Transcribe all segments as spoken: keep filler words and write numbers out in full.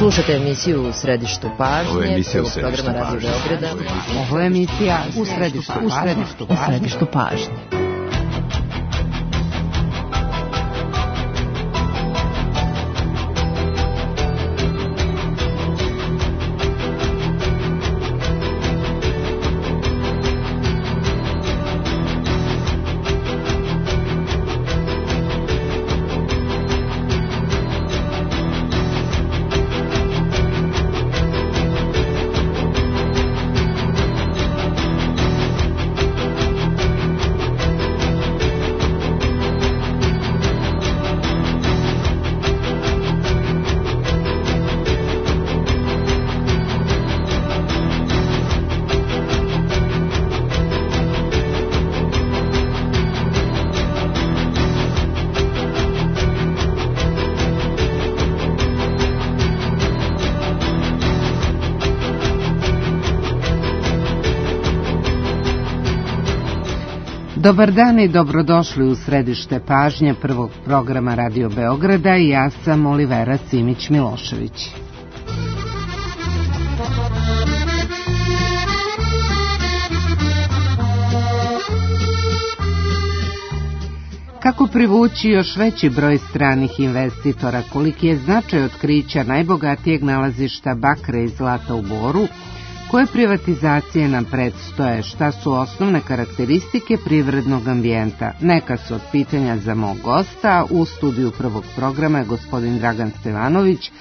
Slušate emisiju U središtu pažnje. Ovo je emisija U središtu pažnje. Ovo je emisija U središtu pažnje. U središtu pažnje. Dobar dan i dobrodošli u središte pažnje prvog programa Radio Beograda i ja sam Olivera Simić-Milošević. Kako privući još veći broj stranih investitora, koliki je značaj otkrića najbogatijeg nalazišta bakra i zlata u Boru, koje privatizacije nam predstoje, šta su osnovne karakteristike privrednog ambijenta? Neka su od pitanja za mog gosta. U studiju prvog programa je gospodin Dragan Stevanović,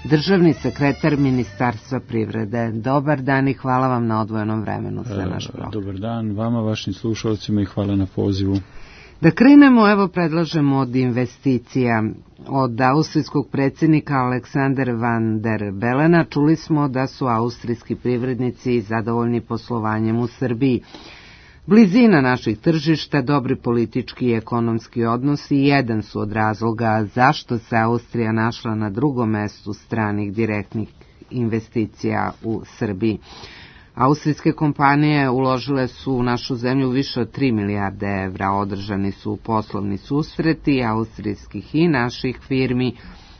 državni sekretar Ministarstva privrede. Dobar dan i hvala vam na odvojenom vremenu za naš program. Dobar dan vama, vašim slušalcima i hvala na pozivu. Da krenemo, evo predlažemo od investicija. Od austrijskog predsjednika Aleksandra van der Belena čuli smo da su austrijski privrednici zadovoljni poslovanjem u Srbiji. Blizina naših tržišta, dobri politički i ekonomski odnosi jedan su od razloga zašto se Austrija našla na drugom mestu stranih direktnih investicija u Srbiji. Austrijske kompanije uložile su u našu zemlju više od tri milijarde evra, održani su poslovni susreti austrijskih i naših firmi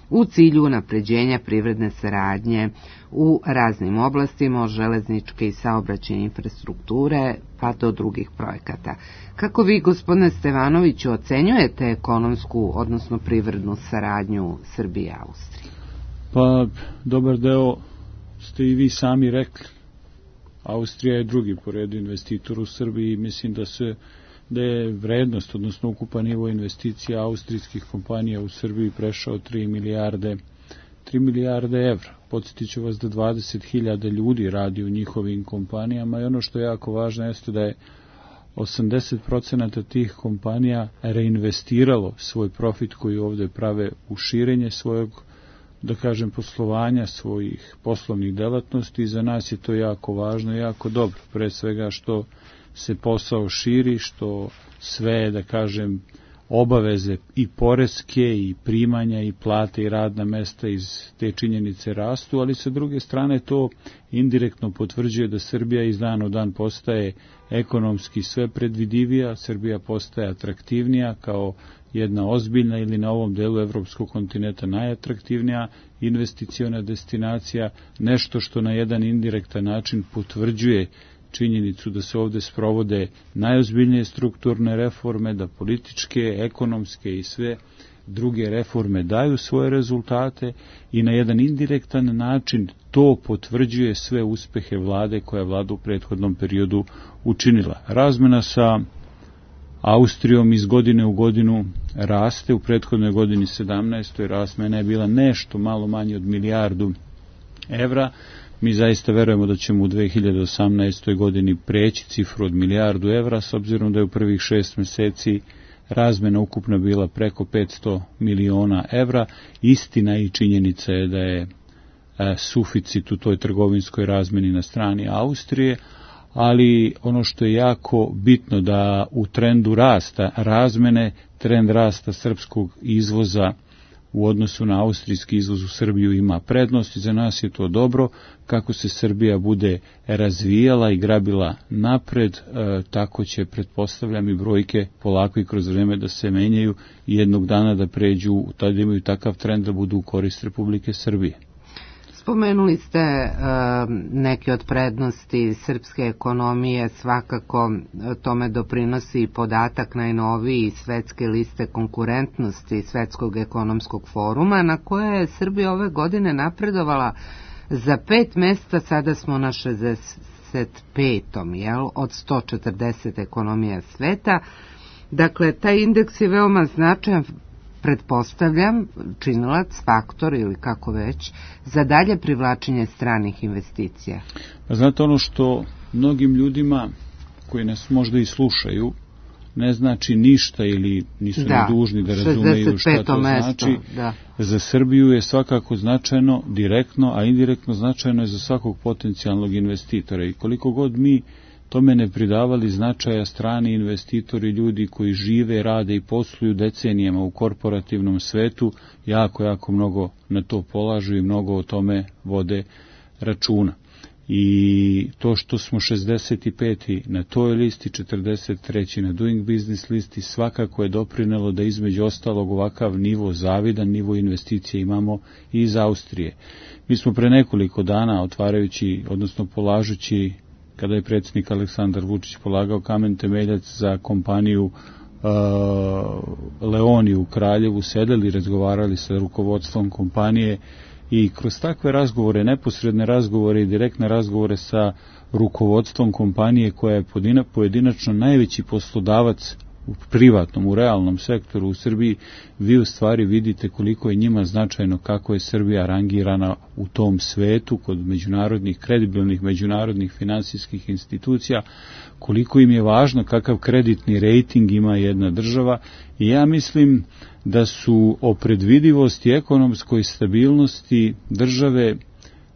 u cilju unapređenja privredne saradnje u raznim oblastima, od železničke i saobraćajne infrastrukture pa do drugih projekata. Kako vi, gospodine Stevanoviću, ocenjujete ekonomsku, odnosno privrednu saradnju Srbije i Austrije? Pa, dobar deo ste i vi sami rekli. Austrija je drugi po redu investitor u Srbiji i mislim da se da je vrednost, odnosno ukupan nivo investicija austrijskih kompanija u Srbiji prešao tri milijarde evra. Podsjetit ću vas da dvadeset hiljada ljudi radi u njihovim kompanijama i ono što je jako važno jeste da je osamdeset procenata tih kompanija reinvestiralo svoj profit koji ovdje prave u širenje svojeg, da kažem, poslovanja, svojih poslovnih delatnosti. Za nas je to jako važno i jako dobro. Pre svega što se posao širi, što sve, da kažem, obaveze i poreske i primanja i plate i radna mesta iz te činjenice rastu, ali sa druge strane to indirektno potvrđuje da Srbija iz dana u dan postaje ekonomski sve predvidivija, Srbija postaje atraktivnija kao jedna ozbiljna ili na ovom delu evropskog kontinenta najatraktivnija investiciona destinacija, nešto što na jedan indirektan način potvrđuje činjenicu da se ovdje sprovode najozbiljnije strukturne reforme, da političke, ekonomske i sve druge reforme daju svoje rezultate i na jedan indirektan način to potvrđuje sve uspehe vlade koja je vlada u prethodnom periodu učinila. Razmena sa Austrijom iz godine u godinu raste, u prethodnoj godini sedamnaestoj razmena je bila nešto malo manje od milijardu evra. Mi zaista verujemo da ćemo u dve hiljade osamnaestoj godini preći cifru od milijardu evra, s obzirom da je u prvih šest meseci razmena ukupno bila preko petsto miliona evra. Istina i činjenica je da je suficit u toj trgovinskoj razmeni na strani Austrije, ali ono što je jako bitno da u trendu rasta razmene, trend rasta srpskog izvoza u odnosu na austrijski izvoz u Srbiju ima prednost i za nas je to dobro. Kako se Srbija bude razvijala i grabila napred, e, tako će, pretpostavljam, i brojke polako i kroz vreme da se menjaju i jednog dana da pređu, tada imaju takav trend da budu u korist Republike Srbije. Spomenuli ste uh, neke od prednosti srpske ekonomije, svakako tome doprinosi i podatak najnoviji svetske liste konkurentnosti Svetskog ekonomskog foruma, na koje je Srbija ove godine napredovala za pet mesta, sada smo na šezdeset petom jel, od sto četrdeset ekonomija sveta. Dakle, taj indeks je veoma značajan, pretpostavljam, činilac, faktor ili kako već, za dalje privlačenje stranih investicija. Pa znate, ono što mnogim ljudima koji nas možda i slušaju ne znači ništa ili nisu da, dužni da razumeju šta to mesto, znači, da. Za Srbiju je svakako značajno direktno, a indirektno značajno je za svakog potencijalnog investitora. I koliko god mi tome ne pridavali značaja, strani investitori, ljudi koji žive, rade i posluju decenijama u korporativnom svetu, jako, jako mnogo na to polažu i mnogo o tome vode računa. I to što smo šezdeset peti na toj listi, četrdeset treći na Doing Business listi, svakako je doprinelo da između ostalog ovakav nivo, zavidan nivo investicije imamo i iz Austrije. Mi smo pre nekoliko dana otvarajući, odnosno polažući, kada je predsjednik Aleksandar Vučić polagao kamen temeljac za kompaniju uh, Leoni u Kraljevu, sedeli i razgovarali sa rukovodstvom kompanije i kroz takve razgovore, neposredne razgovore i direktne razgovore sa rukovodstvom kompanije koja je pojedinačno najveći poslodavac u privatnom, u realnom sektoru u Srbiji, vi u stvari vidite koliko je njima značajno kako je Srbija rangirana u tom svetu kod međunarodnih, kredibilnih međunarodnih finansijskih institucija, koliko im je važno kakav kreditni rejting ima jedna država i ja mislim da su o predvidivosti i ekonomskoj stabilnosti države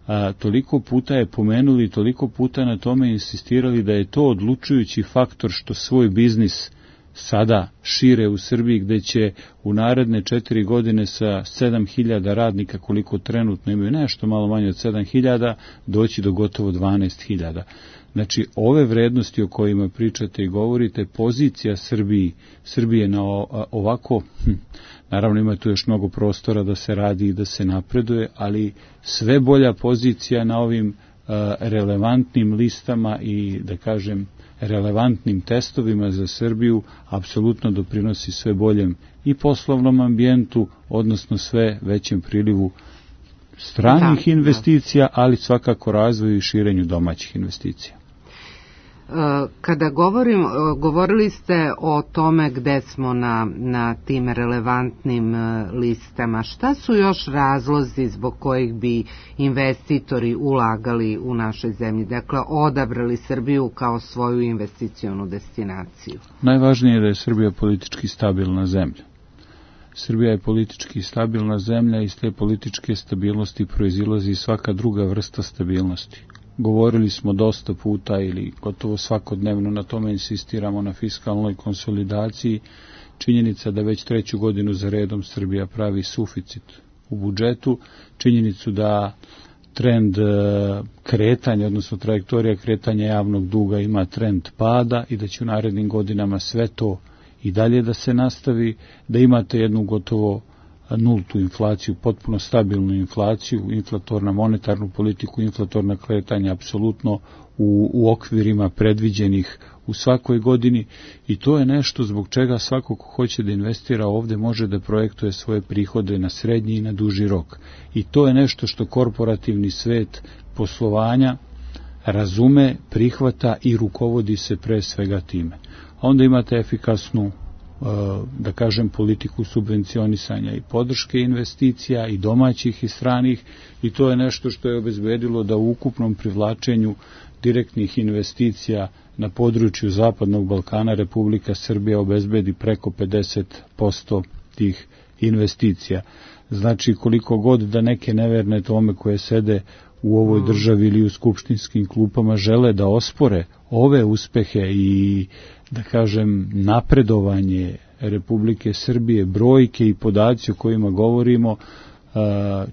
a, toliko puta je pomenuli, toliko puta na tome insistirali da je to odlučujući faktor što svoj biznis sada šire u Srbiji, gde će u naredne četiri godine sa sedam hiljada radnika, koliko trenutno imaju, nešto malo manje od sedam hiljada, doći do gotovo dvanaest hiljada. Znači, ove vrednosti o kojima pričate i govorite, pozicija Srbiji, Srbije na ovako, hm, naravno ima tu još mnogo prostora da se radi i da se napreduje, ali sve bolja pozicija na ovim uh, relevantnim listama i, da kažem, relevantnim testovima za Srbiju apsolutno doprinosi sve boljem i poslovnom ambijentu, odnosno sve većem prilivu stranih da, investicija, da. Ali svakako razvoju i širenju domaćih investicija. Kada govorim, govorili ste o tome gde smo na, na tim relevantnim listama. Šta su još razlozi zbog kojih bi investitori ulagali u našoj zemlji? Dakle, odabrali Srbiju kao svoju investicionu destinaciju. Najvažnije je da je Srbija politički stabilna zemlja. Srbija je politički stabilna zemlja i iz te političke stabilnosti proizilazi svaka druga vrsta stabilnosti. Govorili smo dosta puta ili gotovo svakodnevno na tome insistiramo na fiskalnoj konsolidaciji. Činjenica da već treću godinu za redom Srbija pravi suficit u budžetu, činjenicu da trend kretanja, odnosno trajektorija kretanja javnog duga ima trend pada i da će u narednim godinama sve to i dalje da se nastavi, da imate jednu gotovo nultu inflaciju, potpuno stabilnu inflaciju, inflatorna monetarnu politiku, inflatorna kretanja apsolutno u, u okvirima predviđenih u svakoj godini i to je nešto zbog čega svako ko hoće da investira ovde može da projektuje svoje prihode na srednji i na duži rok. I to je nešto što korporativni svet poslovanja razume, prihvata i rukovodi se pre svega time. A onda imate efikasnu, da kažem, politiku subvencionisanja i podrške investicija i domaćih i stranih i to je nešto što je obezbedilo da u ukupnom privlačenju direktnih investicija na području Zapadnog Balkana Republika Srbija obezbedi preko pedeset posto tih investicija. Znači, koliko god da neke neverne tome koje sede u ovoj državi ili u skupštinskim klupama žele da ospore ove uspehe i, da kažem, napredovanje Republike Srbije, brojke i podaci o kojima govorimo,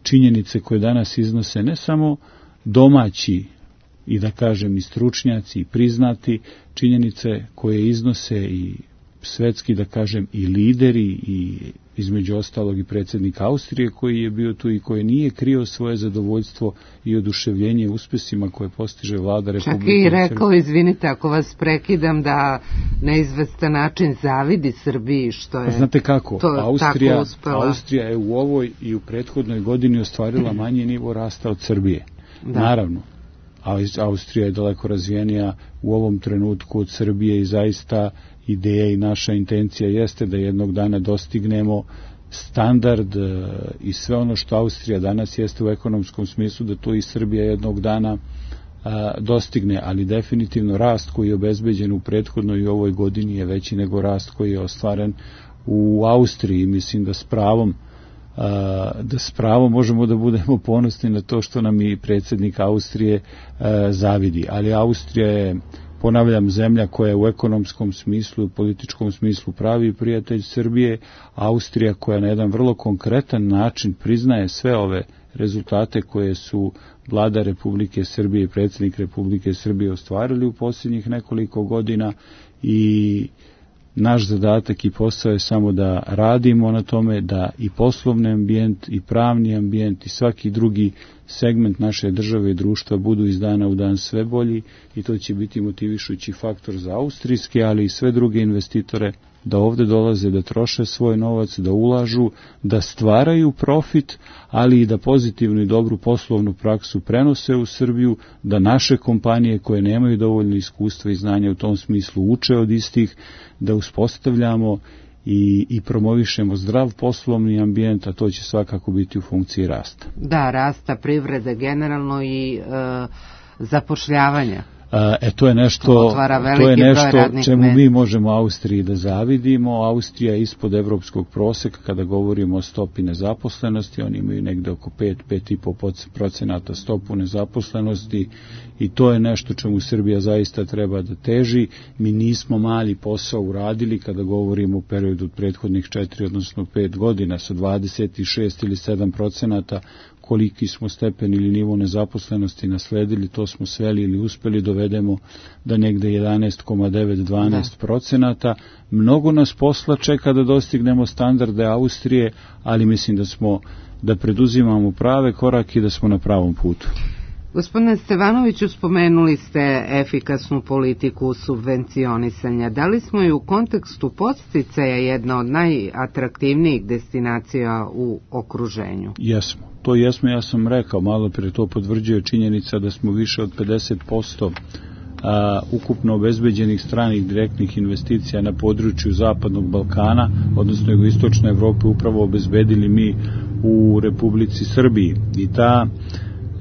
činjenice koje danas iznose ne samo domaći i, da kažem, i stručnjaci i priznati, činjenice koje iznose i svetski, da kažem, i lideri i između ostalog i predsjednik Austrije koji je bio tu i koji nije krio svoje zadovoljstvo i oduševljenje uspesima koje postiže vlada Republike Srbije. Čak i rekao, izvinite ako vas prekidam, da na izvestan način zavidi Srbiji što je, pa znate kako, to Austrija, tako uspela. Austrija je u ovoj i u prethodnoj godini ostvarila manji nivo rasta od Srbije. Da. Naravno, Austrija je daleko razvijenija u ovom trenutku od Srbije i zaista ideja i naša intencija jeste da jednog dana dostignemo standard i sve ono što Austrija danas jeste u ekonomskom smislu, da to i Srbija jednog dana a, dostigne, ali definitivno rast koji je obezbeđen u prethodnoj i ovoj godini je veći nego rast koji je ostvaren u Austriji. Mislim da s pravom a, da s pravom možemo da budemo ponosni na to što nam i predsjednik Austrije a, zavidi, ali Austrija je, ponavljam, zemlja koja je u ekonomskom smislu i političkom smislu pravi prijatelj Srbije, Austrija koja na jedan vrlo konkretan način priznaje sve ove rezultate koje su vlada Republike Srbije i predsjednik Republike Srbije ostvarili u posljednjih nekoliko godina i naš zadatak i posao je samo da radimo na tome da i poslovni ambijent i pravni ambijent i svaki drugi segment naše države i društva budu iz dana u dan sve bolji i to će biti motivišući faktor za austrijske, ali i sve druge investitore da ovde dolaze, da troše svoj novac, da ulažu, da stvaraju profit, ali i da pozitivnu i dobru poslovnu praksu prenose u Srbiju, da naše kompanije koje nemaju dovoljno iskustva i znanja u tom smislu uče od istih, da uspostavljamo i, i promovišemo zdrav poslovni ambijent, a to će svakako biti u funkciji rasta. Da, rasta privrede generalno i e, zapošljavanja. E, to je nešto, to je nešto čemu mi možemo Austriji da zavidimo. Austrija je ispod evropskog proseka kada govorimo o stopi nezaposlenosti, oni imaju negde oko pet do pet i po procenata stopu nezaposlenosti i to je nešto čemu Srbija zaista treba da teži. Mi nismo mali posao uradili kada govorimo u periodu od prethodnih četiri, odnosno pet godina sa dvadeset šest ili sedam procenata koliki smo stepen ili nivo nezaposlenosti nasledili, to smo sveli ili uspeli dovedemo da negde jedanaest zarez devet do dvanaest procenata. Mnogo nas posla čeka da dostignemo standarde Austrije, ali mislim da smo, da preduzimamo prave korake i da smo na pravom putu. Gospodine Stevanoviću, spomenuli ste efikasnu politiku subvencionisanja. Da li smo i u kontekstu podsticaja jedna od najatraktivnijih destinacija u okruženju? Jesmo. To jesmo, ja sam rekao, malo prije to potvrđuje činjenica da smo više od pedeset posto a, ukupno obezbeđenih stranih direktnih investicija na području Zapadnog Balkana, odnosno jugoistočne Evrope, upravo obezbedili mi u Republici Srbiji. I ta,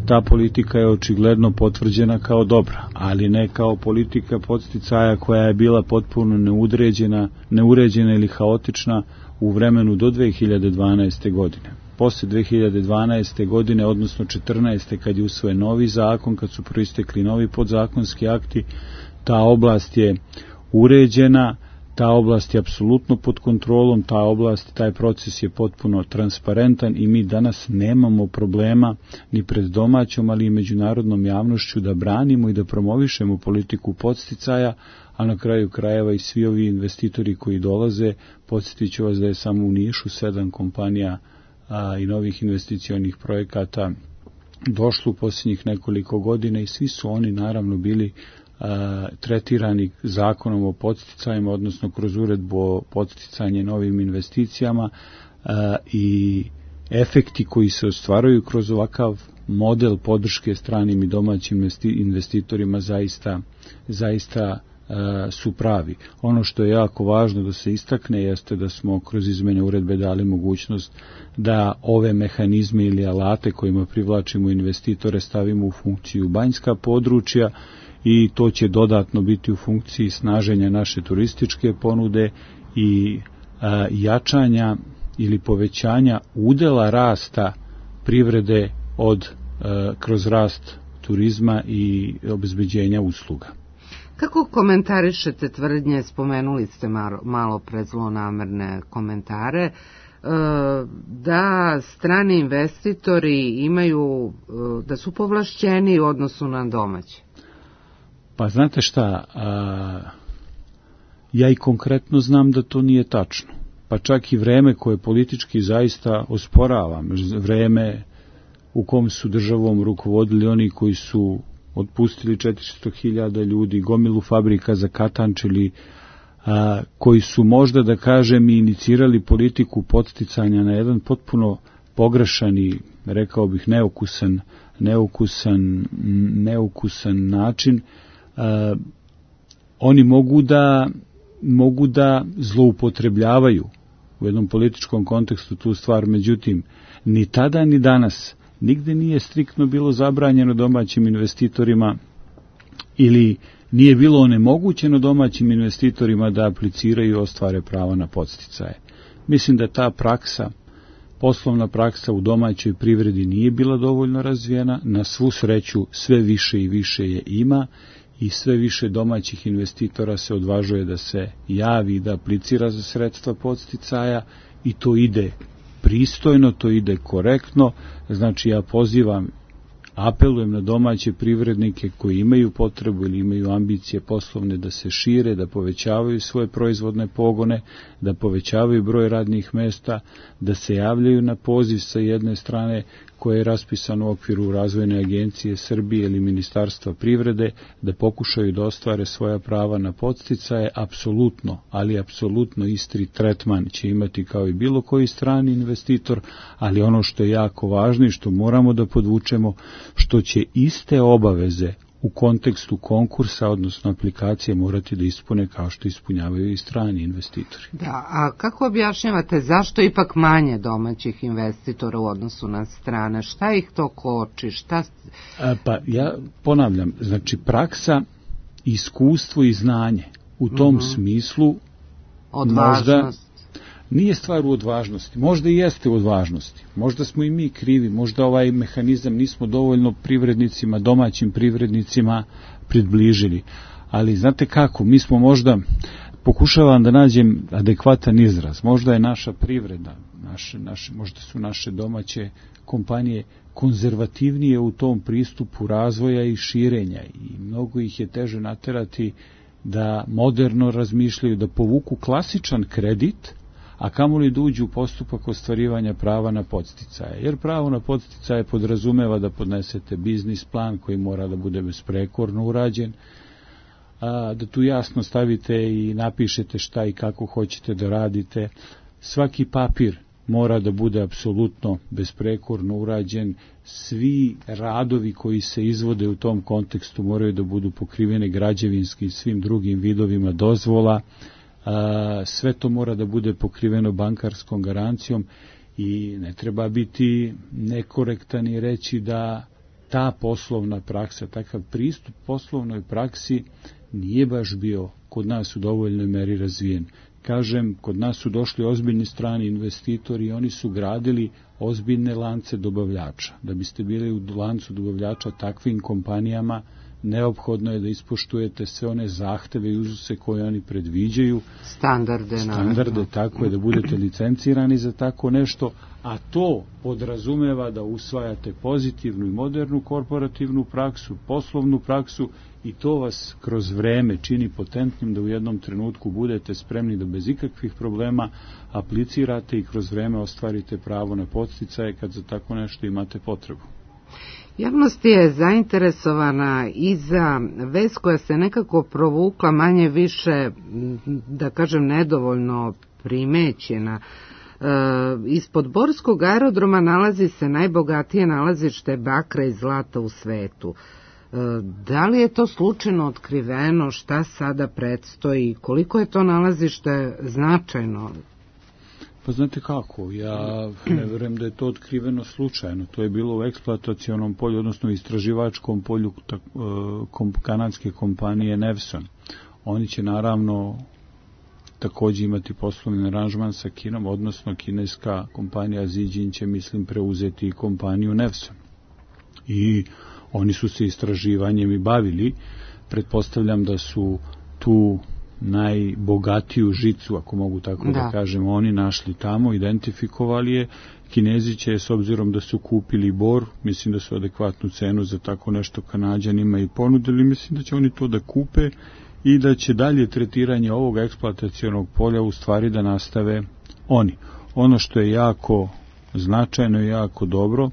ta politika je očigledno potvrđena kao dobra, ali ne kao politika podsticaja koja je bila potpuno neudređena, neuređena ili haotična u vremenu do dve hiljade dvanaeste. godine. Posle dve hiljade dvanaeste. godine, odnosno četrnaeste. kad je usvojen novi zakon, kad su proistekli novi podzakonski akti, ta oblast je uređena, ta oblast je apsolutno pod kontrolom, ta oblast, taj proces je potpuno transparentan i mi danas nemamo problema ni pred domaćom, ali i međunarodnom javnošću da branimo i da promovišemo politiku podsticaja, a na kraju krajeva i svi ovi investitori koji dolaze, podsjetit ću vas da je samo u Nišu sedam kompanija a, i novih investicionih projekata došlo u posljednjih nekoliko godina i svi su oni naravno bili a, tretirani zakonom o podsticajima, odnosno kroz uredbu o podsticanje novim investicijama a, i efekti koji se ostvaraju kroz ovakav model podrške stranim i domaćim investitorima zaista, zaista su pravi. Ono što je jako važno da se istakne jeste da smo kroz izmene uredbe dali mogućnost da ove mehanizme ili alate kojima privlačimo investitore stavimo u funkciju banjska područja i to će dodatno biti u funkciji snaženja naše turističke ponude i a, jačanja ili povećanja udela rasta privrede od a, kroz rast turizma i obezbeđenja usluga. Kako komentarišete tvrdnje, spomenuli ste malo pre zlonamerne komentare, da strani investitori imaju, da su povlašćeni u odnosu na domaće? Pa znate šta, a, ja i konkretno znam da to nije tačno. pa čak i vreme koje politički zaista osporavam, vreme u kom su državom rukovodili oni koji su otpustili četiristo hiljada ljudi, gomilu fabrika zakatančili, a, koji su možda, da kažem, i inicirali politiku podsticanja na jedan potpuno pogrešan i, rekao bih, neukusan, neukusan, neukusan način, a, oni mogu da, mogu da zloupotrebljavaju u jednom političkom kontekstu tu stvar, međutim, ni tada ni danas nigde nije striktno bilo zabranjeno domaćim investitorima ili nije bilo onemogućeno domaćim investitorima da apliciraju i ostvare pravo na podsticaje. Mislim da ta praksa, poslovna praksa u domaćoj privredi nije bila dovoljno razvijena, na svu sreću sve više i više je ima i sve više domaćih investitora se odvažuje da se javi i da aplicira za sredstva podsticaja i to ide pristojno, to ide korektno. Znači ja pozivam, apelujem na domaće privrednike koji imaju potrebu ili imaju ambicije poslovne da se šire, da povećavaju svoje proizvodne pogone, da povećavaju broj radnih mesta, da se javljaju na poziv sa jedne strane koje je raspisano u okviru Razvojne agencije Srbije ili Ministarstva privrede, da pokušaju da ostvare svoja prava na podsticaje. Apsolutno, ali apsolutno isti tretman će imati kao i bilo koji strani investitor, ali ono što je jako važno i što moramo da podvučemo, što će iste obaveze u kontekstu konkursa, odnosno aplikacije, morati da ispune kao što ispunjavaju i strani investitori. Da, a kako objašnjavate zašto ipak manje domaćih investitora u odnosu na strane? Šta ih to koči? Šta... A, pa ja ponavljam, znači praksa, iskustvo i znanje u tom mm-hmm. smislu odvažnost. Možda nije stvar u odvažnosti, možda i jeste u odvažnosti, možda smo i mi krivi, možda ovaj mehanizam nismo dovoljno privrednicima, domaćim privrednicima približili, ali znate kako, mi smo možda, pokušavam da nađem adekvatan izraz, možda je naša privreda, naše, naše, možda su naše domaće kompanije konzervativnije u tom pristupu razvoja i širenja i mnogo ih je teže naterati da moderno razmišljaju, da povuku klasičan kredit, a kamoli da uđu u postupak ostvarivanja prava na podsticaje. Jer pravo na podsticaje podrazumeva da podnesete biznis plan koji mora da bude besprekorno urađen, a, da tu jasno stavite i napišete šta i kako hoćete da radite. Svaki papir mora da bude apsolutno besprekorno urađen. Svi radovi koji se izvode u tom kontekstu moraju da budu pokrivene građevinskim i svim drugim vidovima dozvola. A, sve to mora da bude pokriveno bankarskom garancijom i ne treba biti nekorektan i reći da ta poslovna praksa, takav pristup poslovnoj praksi nije baš bio kod nas u dovoljnoj meri razvijen. Kažem, kod nas su došli ozbiljni strani investitori i oni su gradili ozbiljne lance dobavljača. Da biste bili u lancu dobavljača takvim kompanijama, neophodno je da ispoštujete sve one zahteve i uzuse koje oni predviđaju. Standarde. Standarde, naravno. Tako je, da budete licencirani za tako nešto, a to podrazumeva da usvajate pozitivnu i modernu korporativnu praksu, poslovnu praksu i to vas kroz vreme čini potentnim da u jednom trenutku budete spremni da bez ikakvih problema aplicirate i kroz vreme ostvarite pravo na podsticaje kad za tako nešto imate potrebu. Javnost je zainteresovana i za vest koja se nekako provukla manje više, da kažem, nedovoljno primećena. E, ispod Borskog aerodroma nalazi se najbogatije nalazište bakra i zlata u svetu. E, da li je to slučajno otkriveno, šta sada predstoji, koliko je to nalazište značajno? Pa znate kako, ja ne verujem da je to otkriveno slučajno. To je bilo u eksploatacionom polju, odnosno istraživačkom polju tak, kom, kanadske kompanije Nevson. Oni će naravno također imati poslovni aranžman sa Kinom, odnosno kineska kompanija Zijin će, mislim, preuzeti kompaniju Nevson. I oni su se istraživanjem i bavili. Pretpostavljam da su tu najbogatiju žicu, ako mogu tako da, da kažem, oni našli tamo, identifikovali je. Kinezi će, s obzirom da su kupili bor, mislim da su adekvatnu cenu za tako nešto Kanađanima i ponudili, mislim da će oni to da kupe i da će dalje tretiranje ovog eksploatacionog polja u stvari da nastave oni. Ono što je jako značajno i jako dobro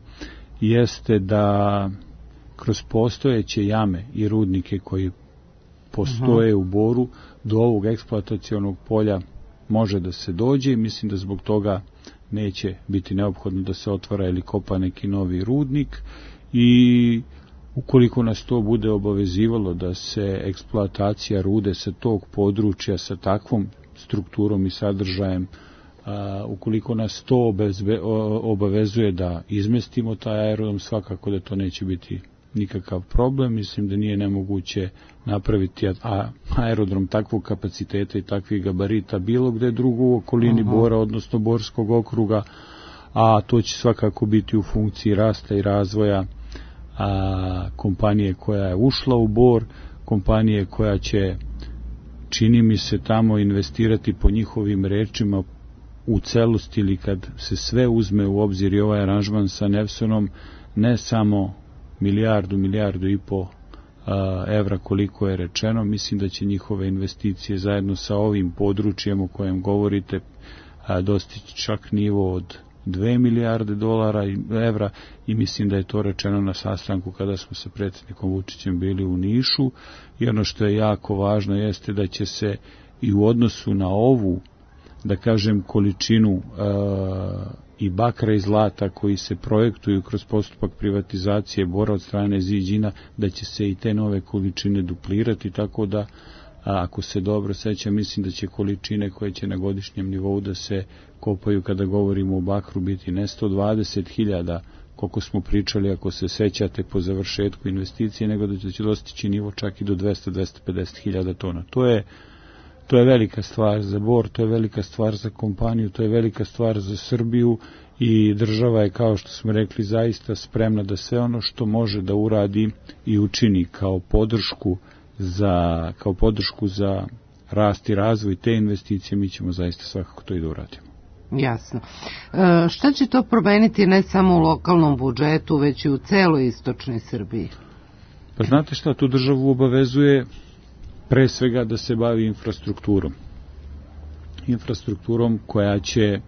jeste da kroz postojeće jame i rudnike koji postoje uh-huh. u Boru do ovog eksploatacionog polja može da se dođe i mislim da zbog toga neće biti neophodno da se otvara ili kopa neki novi rudnik i ukoliko nas to bude obavezivalo da se eksploatacija rude sa tog područja sa takvom strukturom i sadržajem, a, ukoliko nas to obezbe, obavezuje da izmestimo taj aerodrom, svakako da to neće biti nikakav problem. Mislim da nije nemoguće napraviti a, aerodrom takvog kapaciteta i takvih gabarita bilo gde drugo u okolini uh-huh. Bora, odnosno Borskog okruga, a to će svakako biti u funkciji rasta i razvoja a, kompanije koja je ušla u Bor, kompanije koja će, čini mi se, tamo investirati po njihovim rečima u celosti ili kad se sve uzme u obzir i ovaj aranžman sa Nevsonom, ne samo milijardu, milijardu i po a, evra koliko je rečeno, mislim da će njihove investicije zajedno sa ovim područjem o kojem govorite a, dostići čak nivo od dve milijarde dolara i evra i mislim da je to rečeno na sastanku kada smo sa predsjednikom Vučićem bili u Nišu i ono što je jako važno jeste da će se i u odnosu na ovu, da kažem, količinu uh, i bakra i zlata koji se projektuju kroz postupak privatizacije Bora od strane Ziđina, da će se i te nove količine duplirati, tako da a ako se dobro sećam, mislim da će količine koje će na godišnjem nivou da se kopaju kada govorimo o bakru biti ne sto dvadeset hiljada, koliko smo pričali ako se sećate po završetku investicije, nego da će dostići nivo čak i do dvesta do dvesta pedeset hiljada tona. To je To je velika stvar za Bor, to je velika stvar za kompaniju, to je velika stvar za Srbiju i država je, kao što smo rekli, zaista spremna da sve ono što može da uradi i učini kao podršku za, kao podršku za rast i razvoj te investicije, mi ćemo zaista svakako to i da uradimo. Jasno. E, šta će to promeniti ne samo u lokalnom budžetu, već i u celoj istočnoj Srbiji? Pa znate šta, tu državu obavezuje pre svega da se bavi infrastrukturom. Infrastrukturom koja će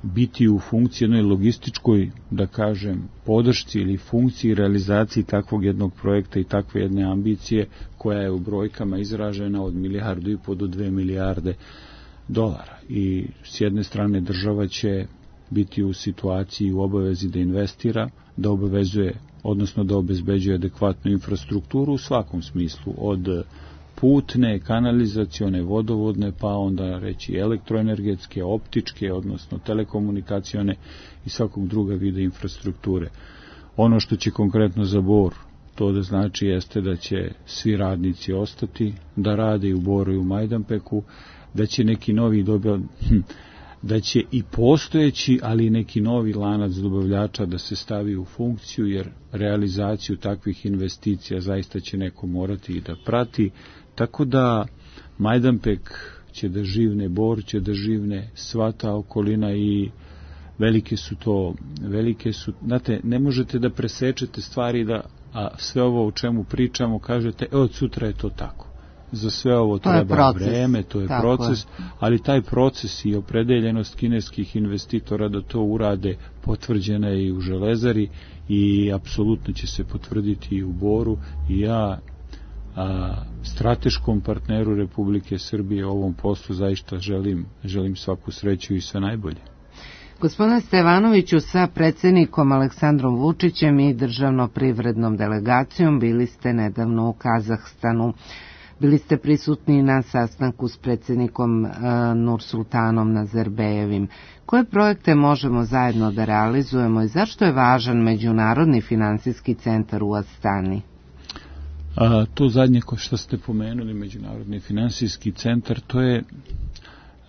biti u funkciji jednoj logističkoj, da kažem, podršci ili funkciji realizaciji takvog jednog projekta i takve jedne ambicije koja je u brojkama izražena od milijardu i po do dve milijarde dolara. I s jedne strane država će biti u situaciji, u obavezi da investira, da obavezuje, odnosno da obezbeđuje adekvatnu infrastrukturu u svakom smislu, od putne, kanalizacione, vodovodne, pa onda reći elektroenergetske, optičke, odnosno telekomunikacione i svakog druga vida infrastrukture. Ono što će konkretno za Bor to da znači jeste da će svi radnici ostati, da rade i u Boru i u Majdanpeku, da će neki novi dobio, da će i postojeći, ali i neki novi lanac dobavljača da se stavi u funkciju, jer realizaciju takvih investicija zaista će neko morati i da prati. Tako da Majdanpek će da živne, Bor će da živne, sva ta okolina i velike su to, velike su, znate, ne možete da presečete stvari da, a sve ovo o čemu pričamo kažete, e, od sutra je to tako. Za sve ovo to treba vreme, to je tako proces, je. Ali taj proces i opredeljenost kineskih investitora da to urade potvrđena je i u Železari i apsolutno će se potvrditi i u Boru i ja a, strateškom partneru Republike Srbije u ovom poslu zaista želim, želim svaku sreću i sve najbolje. Gospodine Stevanoviću, sa predsjednikom Aleksandrom Vučićem i državno-privrednom delegacijom bili ste nedavno u Kazahstanu. Bili ste prisutni na sastanku s predsjednikom uh, Nursultanom Nazarbejevim. Koje projekte možemo zajedno da realizujemo i zašto je važan Međunarodni finansijski centar u Astani? A, to zadnje ko što ste pomenuli, Međunarodni finansijski centar, to je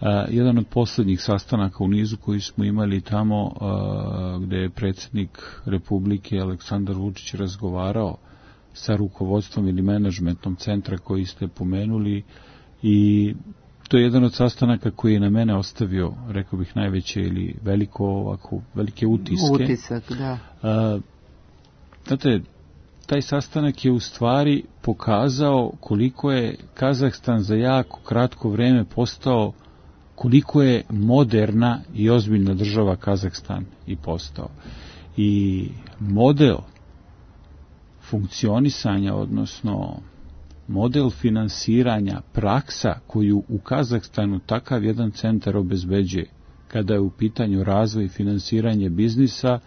a, jedan od posljednjih sastanaka u nizu koji smo imali tamo a, gde je predsjednik Republike Aleksandar Vučić razgovarao sa rukovodstvom ili menadžmentom centra koji ste pomenuli i to je jedan od sastanaka koji je na mene ostavio, rekao bih, najveće ili veliko ovako, velike utiske. Utisak, da. A, znate, taj sastanak je u stvari pokazao koliko je Kazahstan za jako kratko vreme postao koliko je moderna i ozbiljna država Kazahstan i postao. I model funkcionisanja, odnosno model finansiranja, praksa koju u Kazahstanu takav jedan centar obezbeđuje kada je u pitanju razvoj i finansiranje biznisa,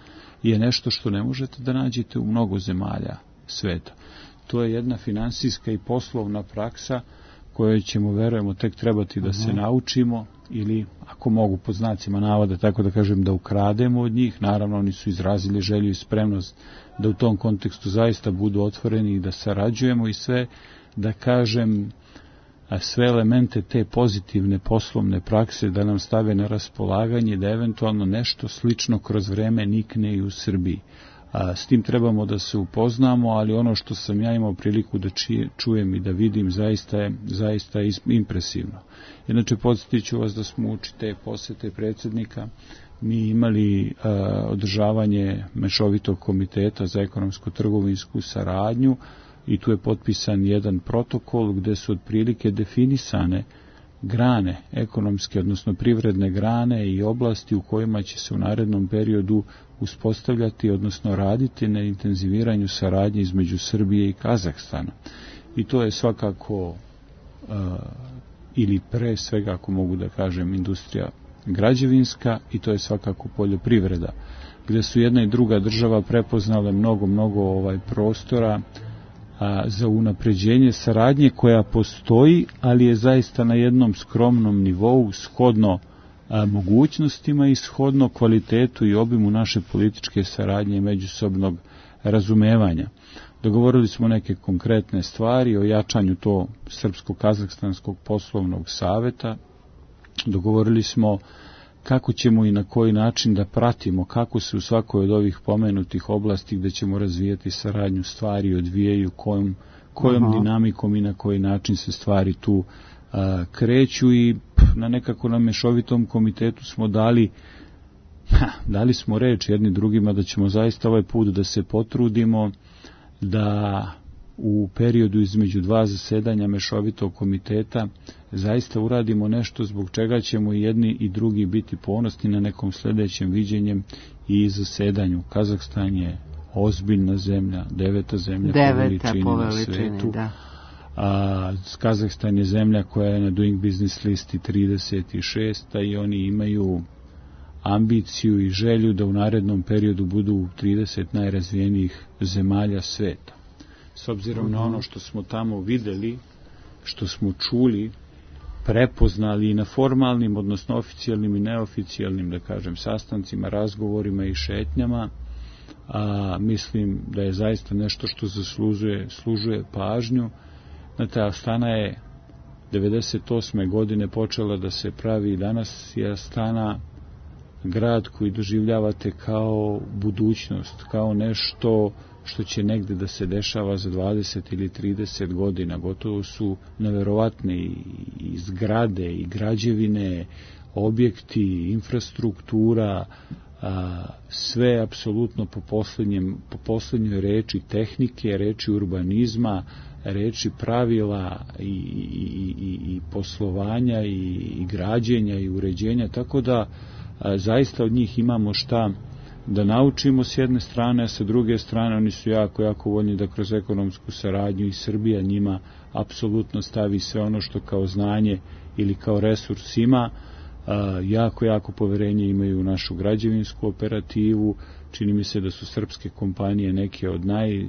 je nešto što ne možete da nađete u mnogo zemalja sveta. To je jedna finansijska i poslovna praksa kojoj ćemo, verujemo, tek trebati da se naučimo, ili, ako mogu pod znacima navoda, tako da kažem, da ukrademo od njih. Naravno, oni su izrazili želju i spremnost da u tom kontekstu zaista budu otvoreni i da sarađujemo i sve, da kažem, sve elemente te pozitivne poslovne prakse da nam stave na raspolaganje, da eventualno nešto slično kroz vreme nikne i u Srbiji. A, s tim trebamo da se upoznamo, ali ono što sam ja imao priliku da čije, čujem i da vidim zaista je, zaista je impresivno. Inače, podsjetit ću vas da smo uči te posete predsjednika mi imali a, održavanje mešovitog komiteta za ekonomsko-trgovinsku saradnju i tu je potpisan jedan protokol gde su otprilike definisane grane ekonomske, odnosno privredne grane i oblasti u kojima će se u narednom periodu uspostavljati, odnosno raditi na intenziviranju saradnje između Srbije i Kazahstana. I to je svakako, uh, ili pre svega, ako mogu da kažem, industrija građevinska, i to je svakako poljoprivreda, gde su jedna i druga država prepoznale mnogo, mnogo ovaj prostora a, za unapređenje saradnje koja postoji, ali je zaista na jednom skromnom nivou, shodno a, mogućnostima i shodno kvalitetu i obimu naše političke saradnje i međusobnog razumevanja. Dogovorili smo neke konkretne stvari o jačanju to Srpsko-Kazahstanskog poslovnog saveta. Dogovorili smo kako ćemo i na koji način da pratimo kako se u svakoj od ovih pomenutih oblasti gde ćemo razvijati saradnju stvari odvijaju, kojom, kojom Aha. dinamikom i na koji način se stvari tu a, kreću, i p, na nekako na mešovitom komitetu smo dali ha, dali smo reč jedni drugima da ćemo zaista ovaj put da se potrudimo da u periodu između dva zasedanja mešovitog komiteta zaista uradimo nešto zbog čega ćemo i jedni i drugi biti ponosni na nekom sljedećem viđenjem i zasedanju. Kazahstan je ozbiljna zemlja, deveta zemlja deveta po veličini na svetu. Da. A, Kazahstan je zemlja koja je na Doing Business listi trideset šesta i oni imaju ambiciju i želju da u narednom periodu budu u trideset najrazvijenijih zemalja sveta. S obzirom na ono što smo tamo videli, što smo čuli, prepoznali i na formalnim, odnosno oficijalnim i neoficijalnim, da kažem, sastancima, razgovorima i šetnjama, a mislim da je zaista nešto što zaslužuje, služuje pažnju. Znate, Astana je devedeset osme godine počela da se pravi, i danas je Astana grad koji doživljavate kao budućnost, kao nešto što će negde da se dešava za dvadeset ili trideset godina. Gotovo su neverovatne i, i zgrade i građevine, objekti, infrastruktura, a, sve apsolutno po, po poslednjoj reči tehnike, reči urbanizma, reči pravila i, i, i, i poslovanja i, i građenja i uređenja, tako da a, zaista od njih imamo šta da naučimo s jedne strane, a sa druge strane oni su jako, jako voljni da kroz ekonomsku saradnju i Srbija njima apsolutno stavi sve ono što kao znanje ili kao resurs ima. Jako, jako poverenje imaju u našu građevinsku operativu. Čini mi se da su srpske kompanije neke od naj,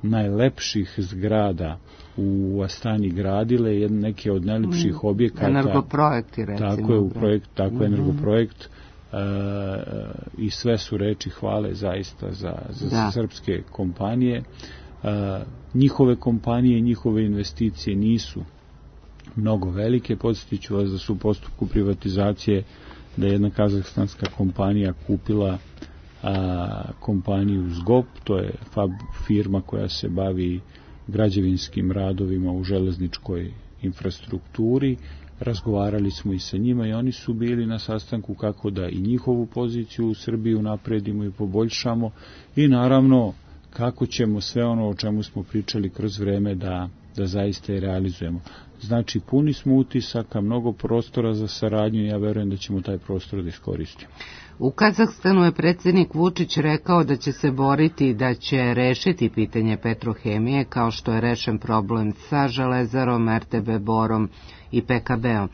najlepših zgrada u Astani gradile, neke od najlepših objekata. Energoprojekti, recimo. Tako je, u projekt, tako je energoprojekt. Uh, i sve su reči hvale zaista za, za, za srpske kompanije. Uh, njihove kompanije i njihove investicije nisu mnogo velike. Podsjetit ću vas da su u postupku privatizacije, da je jedna kazahstanska kompanija kupila uh, kompaniju Zgop, to je fab, firma koja se bavi građevinskim radovima u železničkoj infrastrukturi. Razgovarali smo i sa njima i oni su bili na sastanku kako da i njihovu poziciju u Srbiji unapredimo i poboljšamo, i naravno kako ćemo sve ono o čemu smo pričali kroz vreme da, da zaista i realizujemo. Znači, puni smo utisaka, mnogo prostora za saradnju i ja verujem da ćemo taj prostor da iskoristimo. U Kazahstanu je predsjednik Vučić rekao da će se boriti da će rešiti pitanje Petrohemije kao što je rešen problem sa Železarom, er te be Borom i pe ka be-om.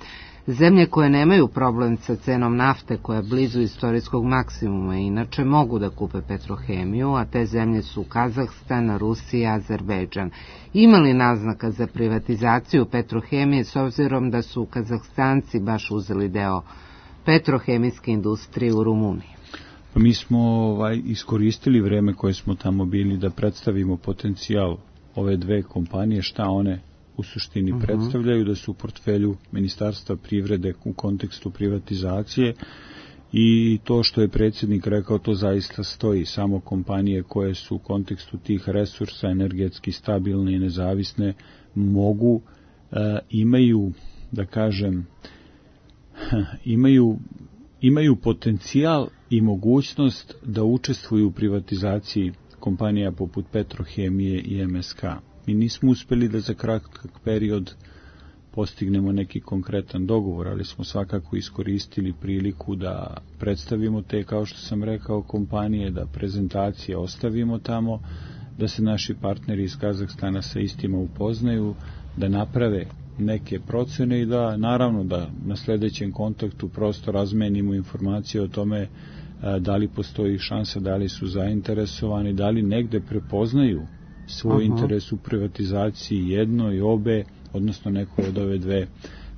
Zemlje koje nemaju problem sa cenom nafte koja je blizu istorijskog maksimuma inače mogu da kupe Petrohemiju, a te zemlje su Kazahstan, Rusija, Azerbejdžan. Ima li naznaka za privatizaciju Petrohemije s obzirom da su Kazahstanci baš uzeli deo petrohemijske industrije u Rumuniji? Pa mi smo ovaj, iskoristili vreme koje smo tamo bili da predstavimo potencijal ove dve kompanije, šta one u suštini uh-huh. predstavljaju, da su u portfelju Ministarstva privrede u kontekstu privatizacije i to što je predsjednik rekao, to zaista stoji. Samo kompanije koje su u kontekstu tih resursa energetski stabilne i nezavisne mogu, e, imaju, da kažem, imaju, imaju potencijal i mogućnost da učestvuju u privatizaciji kompanija poput Petrohemije i em es ka. Mi nismo uspeli da za kratak period postignemo neki konkretan dogovor, ali smo svakako iskoristili priliku da predstavimo te, kao što sam rekao, kompanije, da prezentacije ostavimo tamo, da se naši partneri iz Kazahstana sa istima upoznaju, da naprave neke procene i da, naravno, da na sljedećem kontaktu prosto razmenimo informacije o tome da li postoji šansa, da li su zainteresovani, da li negde prepoznaju svoj uh-huh. interes u privatizaciji jednoj, obe, odnosno nekoj od ove dve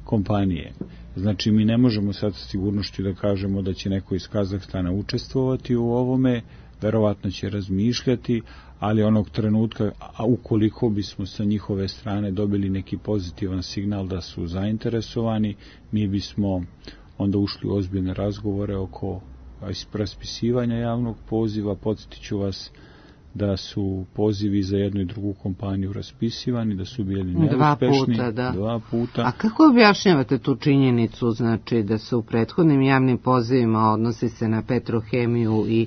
kompanije. Znači, mi ne možemo sad sa sigurnošću da kažemo da će neko iz Kazahstana učestvovati u ovome, verovatno će razmišljati, ali onog trenutka, a ukoliko bismo sa njihove strane dobili neki pozitivan signal da su zainteresovani, mi bismo onda ušli u ozbiljne razgovore oko raspisivanja javnog poziva. Podsjetit ću vas da su pozivi za jednu i drugu kompaniju raspisivani, da su bili neuspešni. Dva puta, da. Dva puta. A kako objašnjavate tu činjenicu, znači da se u prethodnim javnim pozivima odnosi se na Petrohemiju i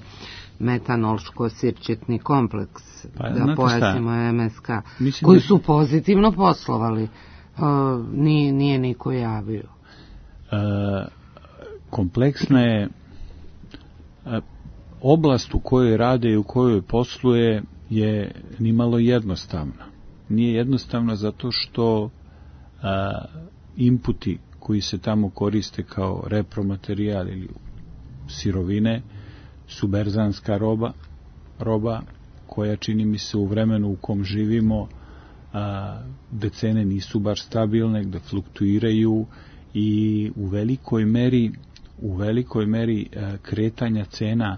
metanolško-sirćetni kompleks, pa, da pojasnimo em es ka, Mislim koji da... su pozitivno poslovali, uh, nije, nije niko javio. E, kompleksna je e, oblast u kojoj rade i u kojoj posluje je nimalo jednostavna. Nije jednostavna zato što a, inputi koji se tamo koriste kao repromaterijal ili sirovine su berzanska roba, roba koja, čini mi se, u vremenu u kom živimo, a, gde cene nisu baš stabilne, gde fluktuiraju i u velikoj meri, u velikoj meri a, kretanja cena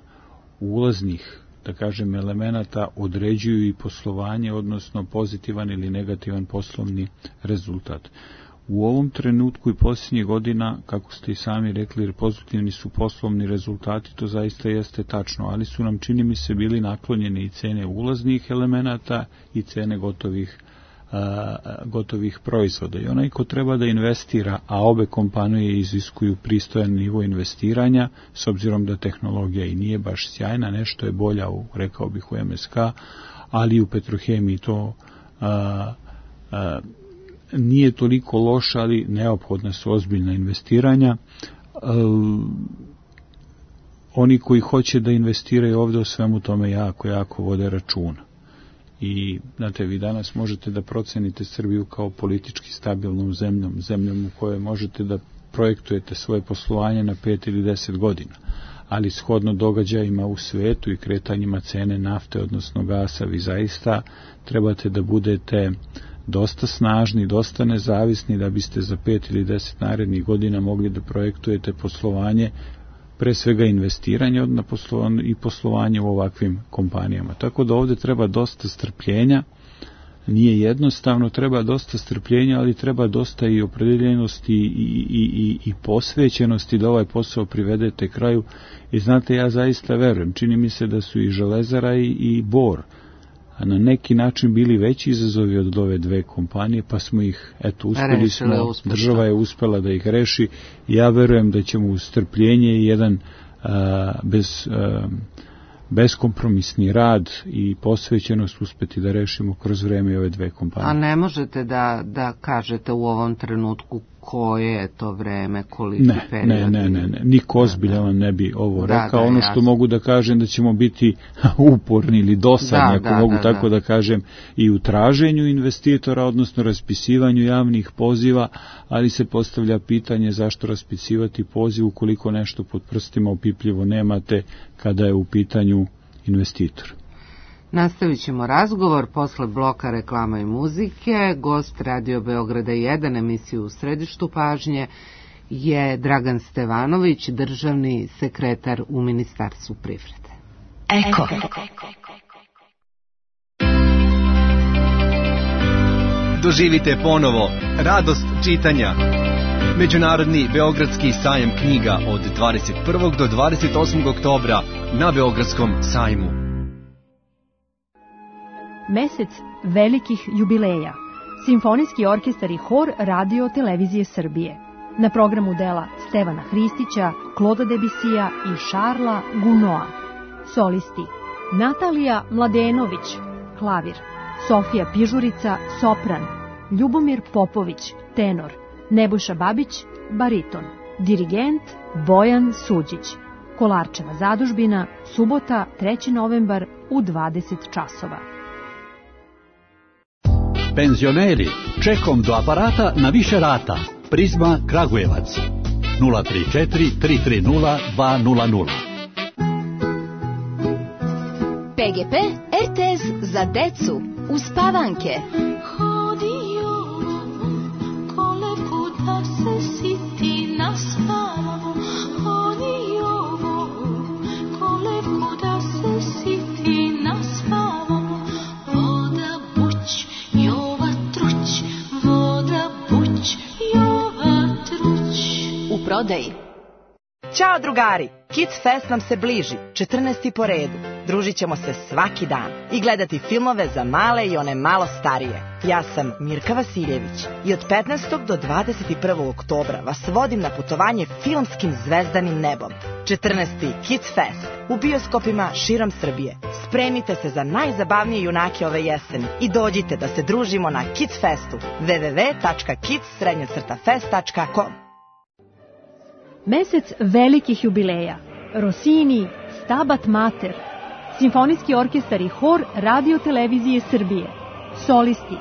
ulaznih, da kažem, elemenata određuju i poslovanje, odnosno pozitivan ili negativan poslovni rezultat. U ovom trenutku i posljednjih godina, kako ste i sami rekli, pozitivni su poslovni rezultati, to zaista jeste tačno, ali su nam, čini mi se, bili naklonjeni i cene ulaznih elemenata i cene gotovih a, gotovih proizvoda. I onaj ko treba da investira, a obe kompanije iziskuju pristojan nivo investiranja, s obzirom da tehnologija i nije baš sjajna, nešto je bolja, u, rekao bih, u em es ka, ali u Petrohemiji to a, a, nije toliko loša, ali neophodna su ozbiljna investiranja. A, oni koji hoće da investiraju ovdje o svemu tome jako, jako vode računa. I, znate, vi danas možete da procenite Srbiju kao politički stabilnom zemljom, zemljom u kojoj možete da projektujete svoje poslovanje na pet ili deset godina, ali shodno događajima u svetu i kretanjima cene nafte, odnosno gasa, vi zaista trebate da budete dosta snažni, dosta nezavisni da biste za pet ili deset narednih godina mogli da projektujete poslovanje, pre svega investiranje na poslovanje i poslovanje u ovakvim kompanijama. Tako da ovdje treba dosta strpljenja, nije jednostavno, treba dosta strpljenja, ali treba dosta i opredeljenosti i, i, i, i posvećenosti da ovaj posao privedete kraju. I znate, ja zaista verujem, čini mi se da su i Železara i, i Bor na neki način bili veći izazovi od ove dve kompanije, pa smo ih, eto, uspeli smo, država je uspela da ih reši. Ja verujem da ćemo uz strpljenje i jedan a, bez a, beskompromisni rad i posvećenost uspeti da rešimo kroz vreme ove dve kompanije. A ne možete da, da kažete u ovom trenutku koje je to vreme, koliki ne, period? Ne, ne, ne, ne, niko ozbiljan vam ne bi ovo da, rekao. Da, ono jasno. što mogu da kažem da ćemo biti uporni ili dosadni, da, ako da, mogu da, tako da. da kažem, i u traženju investitora, odnosno raspisivanju javnih poziva, ali se postavlja pitanje zašto raspisivati poziv ukoliko nešto pod prstima opipljivo nemate kada je u pitanju investitor. Nastavit ćemo razgovor posle bloka reklama i muzike. Gost Radio Beograda jedan, emisiju U središtu pažnje, je Dragan Stevanović, državni sekretar u Ministarstvu privrede. Eko. Doživite ponovo radost čitanja. Međunarodni Beogradski sajam knjiga od dvadeset prvog do dvadeset osmog oktobra na Beogradskom sajmu. Mesec velikih jubileja. Simfonijski orkestar i hor Radio Televizije Srbije. Na programu dela Stevana Hristića, Kloda Debisija i Šarla Gunoa. Solisti: Natalija Mladenović, klavir; Sofija Pižurica, sopran; Ljubomir Popović, tenor; Nebojša Babić, bariton; dirigent Bojan Suđić. Kolarčeva zadužbina, subota, treći novembar u dvadeset časova. Penzioneri, čekom do aparata na više rata. Prizma Kragujevac. nula tri četiri tri tri nula dva nula nula. P G P R T S za decu uspavanke. Prodaji. Ćao drugari, Kids Fest nam se bliži, četrnaesti po redu. Družit ćemo se svaki dan i gledati filmove za male i one malo starije. Ja sam Mirka Vasiljević i od petnaestog do dvadeset prvog oktobra vas vodim na putovanje filmskim zvezdanim nebom. četrnaesti Kids Fest u bioskopima širom Srbije. Spremite se za najzabavnije junake ove jeseni i dođite da se družimo na Kids Festu w w w tačka kids fest tačka com. Mesec velikih jubileja. Rossini, Stabat Mater. Simfonijski orkestar i hor Radio Televizije Srbije. Solisti: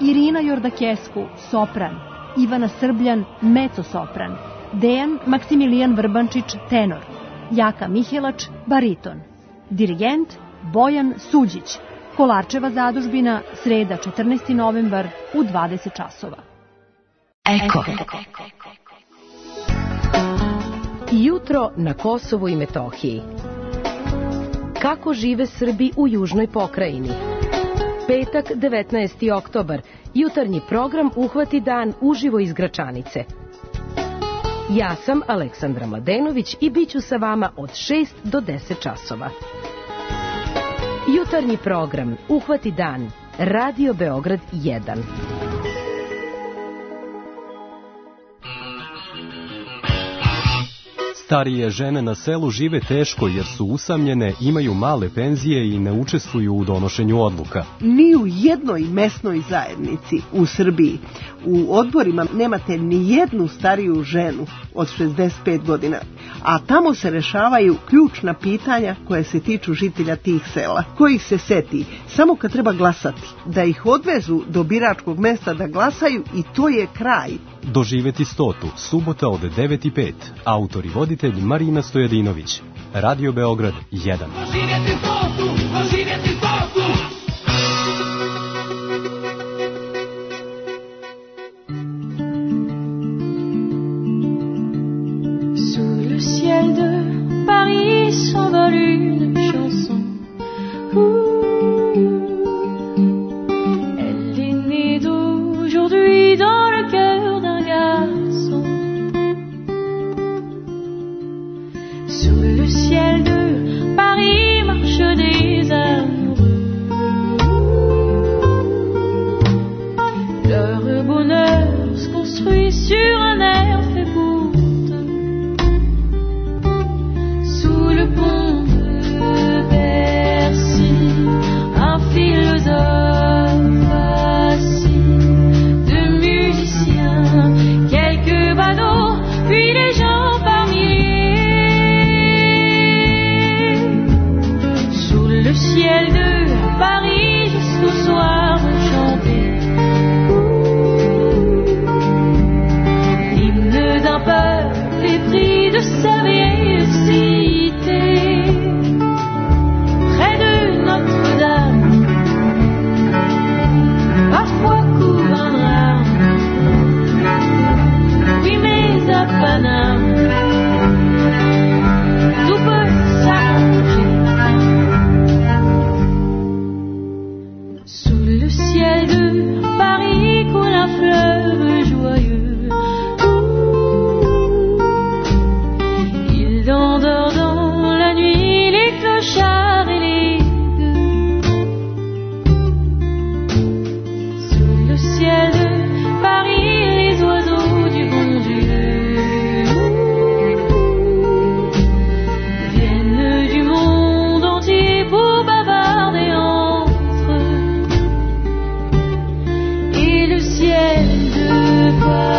Irina Jordakesku, sopran; Ivana Srbljan, mezzo-sopran; Dejan Maksimilijan Vrbančić, tenor; Jaka Mihelač, bariton; dirigent Bojan Suđić. Kolarčeva zadužbina, sreda, četrnaesti novembar u dvadeset časova. Eko. Jutro na Kosovu i Metohiji. Kako žive Srbi u južnoj pokrajini? Petak, devetnaesti oktobar. Jutarnji program Uhvati dan uživo iz Gračanice. Ja sam Aleksandra Mladenović i bit ću sa vama od šest do deset časova. Jutarnji program Uhvati dan. Radio Beograd jedan. Starije žene na selu žive teško jer su usamljene, imaju male penzije i ne učestvuju u donošenju odluka. Ni u jednoj mesnoj zajednici u Srbiji u odborima nemate ni jednu stariju ženu od šezdeset pet godina, a tamo se rešavaju ključna pitanja koje se tiču žitelja tih sela. Ko ih se seti samo kad treba glasati, da ih odvezu do biračkog mesta da glasaju i to je kraj. Doživeti stotu, subota od devet i pet. Autor i voditelj Marina Stojadinović. Radio Beograd jedan. Doživjeti stotu, doživjeti stotu. Sous le ciel de Paris s'envole une chanson. Elle est née d'aujourd'hui dans le cœur d'un garçon. Sous le ciel de Paris marchent des amours. le ciel de Paris jusqu'au soir vont chanter l'hymne d'un peuple épris de sa vieille cité. Près de Notre-Dame, parfois court un drame. Oui, mais à Paname, tout peut s'arranger. Sous le ciel de Paris coule un fleuve joyeux. Il endort dans la nuit les clochards et les gueux. Sous le ciel de Paris les oiseaux du bon Dieu viennent du monde entier pour bavarder entre eux. Et le ciel de Paris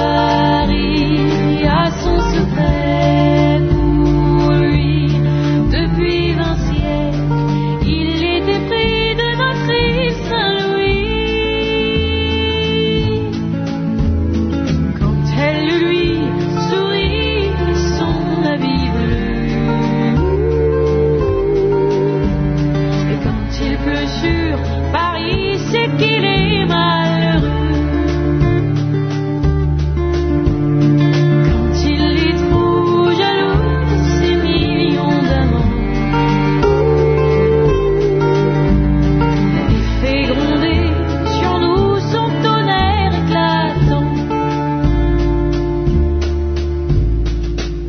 a son secret pour lui. Depuis vingt siècles, il était pris de notre Christ Saint-Louis. Quand elle lui sourit de son habit bleu, et quand il pleut sur Paris, c'est qu'il est malheureux. Quand il est trop jaloux de ses millions d'amants, il fait gronder sur nous son tonnerre éclatant.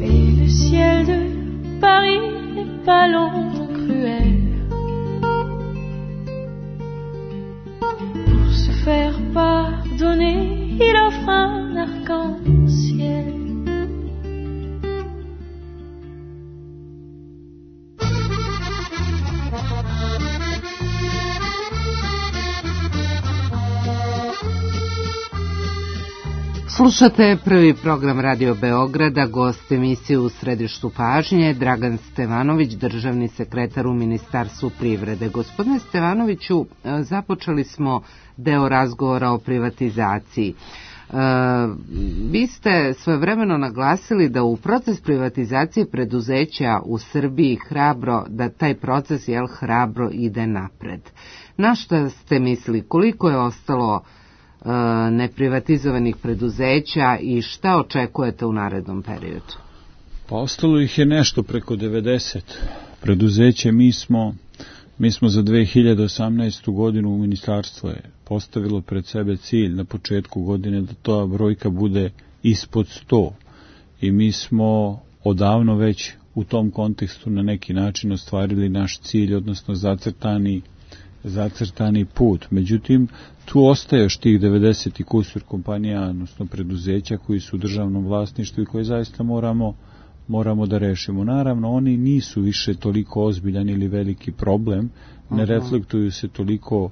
Et le ciel de Paris n'est pas l'ombre cruelle. Pour se faire pardonner, il offre un arc-en-ciel. Slušate prvi program Radio Beograda, gost emisije U središtu pažnje, Dragan Stevanović, državni sekretar u Ministarstvu privrede. Gospodine Stevanoviću, započeli smo deo razgovora o privatizaciji. E, vi ste svojevremeno naglasili da u proces privatizacije preduzeća u Srbiji hrabro, da taj proces jel, hrabro ide napred. Na šta ste mislili? Koliko je ostalo neprivatizovanih preduzeća i šta očekujete u narednom periodu? Pa ostalo ih je nešto preko devedeset preduzeće. Mi smo, mi smo za dve hiljade osamnaestu godinu u ministarstvo je postavilo pred sebe cilj na početku godine da ta brojka bude ispod sto. I mi smo odavno već u tom kontekstu na neki način ostvarili naš cilj, odnosno zacrtani zacrtani put. Međutim, tu ostaje još tih devedeset i kusur kompanija, odnosno preduzeća koji su u državnom vlasništvu i koje zaista moramo, moramo da rešimo. Naravno, oni nisu više toliko ozbiljan ili veliki problem, ne Aha. reflektuju se toliko